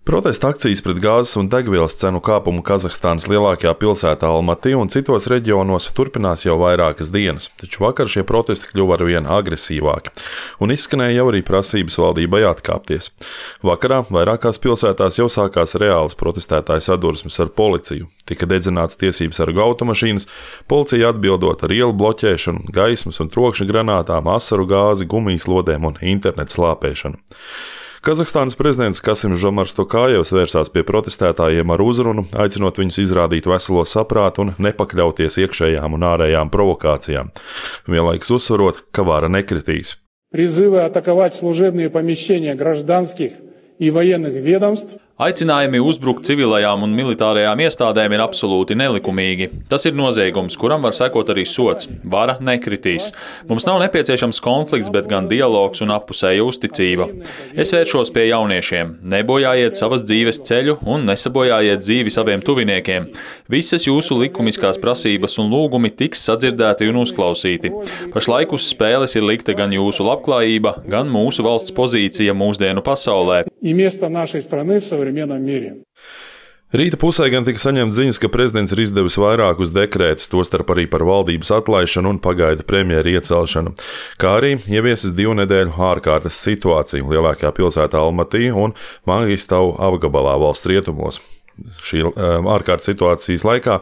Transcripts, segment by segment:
Protesta akcijas pret gāzes un degvielas cenu kāpumu Kazahstānas lielākajā pilsētā Almatī un citos reģionos turpinās jau vairākas dienas, taču vakar šie protesti kļuva arvien agresīvāki, un izskanēja jau arī prasības valdībai atkāpties. Vakarā vairākās pilsētās jau sākās reālas protestētāju sadursmes ar policiju. Tika dedzināts tiesības sargu automašīnas, policija atbildot ar ielu bloķēšanu, gaismas un trokšņa granātām, asaru gāzi, gumijas lodēm un internetu slāpēšanu. Kazahstānas prezidents Kasims Žomars Tokājevs vērsās pie protestētājiem ar uzrunu, aicinot viņus izrādīt veselo saprātu un nepakļauties iekšējām un ārējām provokācijām, vienlaikus uzsverot, ka vara nekritīs. Призывы атаковать служебные помещения гражданских и военных ведомств. Aicinājumi uzbrukt civilajām un militārajām iestādēm ir absolūti nelikumīgi. Tas ir noziegums, kuram var sekot arī sods. Vara nekritīs. Mums nav nepieciešams konflikts, bet gan dialogs un appusēja uzticība. Es vēršos pie jauniešiem. Nebojājiet savas dzīves ceļu un nesabojājiet dzīvi saviem tuviniekiem. Visas jūsu likumiskās prasības un lūgumi tiks sadzirdēti un uzklausīti. Pašlaik uz spēles ir likta gan jūsu labklājība, gan mūsu valsts pozīcija mūsdienu pasaulē. Rīta pusē gan tika saņemts ziņas, ka prezidents ir izdevis vairākus dekrētus, tostarp arī par valdības atlaišanu un pagaidu premjera iecelšanu, kā arī ieviesis 2 nedēļu ārkārtas situāciju lielākajā pilsētā Almatī un Mangistavu apgabalā valsts rietumos. Šī ārkārtas situācijas laikā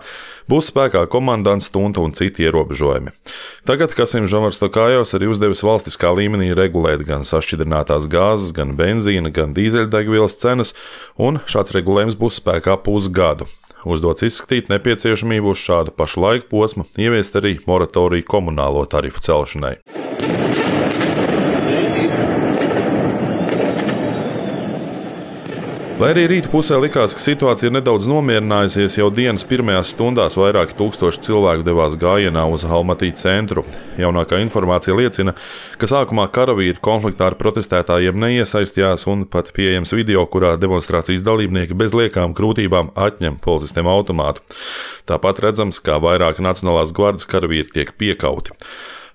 būs spēkā komandants stunta un citi ierobežojumi. Tagad Kasims Žomars Tokājevs arī uzdevis valstiskā līmenī regulēt gan sašķidrinātās gāzes, gan benzīna, gan dīzeļdegvielas cenas, un šāds regulējums būs spēkā pusgadu. Uzdots izskatīt nepieciešamību uz šādu pašu laika posmu, ieviest arī moratoriju komunālo tarifu celšanai. Lai arī rīta pusē likās, ka situācija ir nedaudz nomierinājusies, jau dienas pirmajās stundās vairāki tūkstoši cilvēku devās gājienā uz Almatī centru. Jaunākā informācija liecina, ka sākumā karavīri konfliktā ar protestētājiem neiesaistījās un pat pieejams video, kurā demonstrācijas dalībnieki bez liekām grūtībām atņem policistiem automātu. Tāpat redzams, kā vairāki Nacionālās gvardes karavīri tiek piekauti.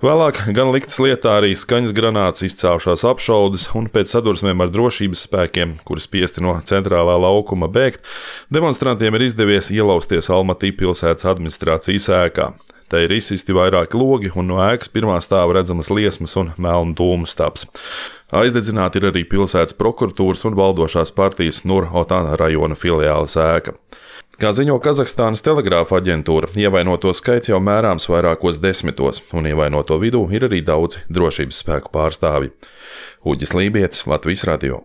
Vēlāk gan liktas lietā arī skaņas granātas, izcēlušās apšaudes, un pēc sadursmēm ar drošības spēkiem, kuri spiesti no centrālā laukuma bēgt, demonstrantiem ir izdevies ielausties Almatī pilsētas administrācijas ēkā. Te ir izsisti vairāki logi, un no ēkas pirmā stāva redzamas liesmas un melnu dūmu stabs. Aizdedzināti ir arī pilsētas prokuratūras un valdošās partijas Nur-Otan rajona filiāles ēka. Kā ziņo Kazahstānas telegrāfa aģentūra, ievainoto skaits jau mērāms vairākos desmitos, un ievainoto vidū ir arī daudzi drošības spēku pārstāvji. Uģis Lībietis, Latvijas radio.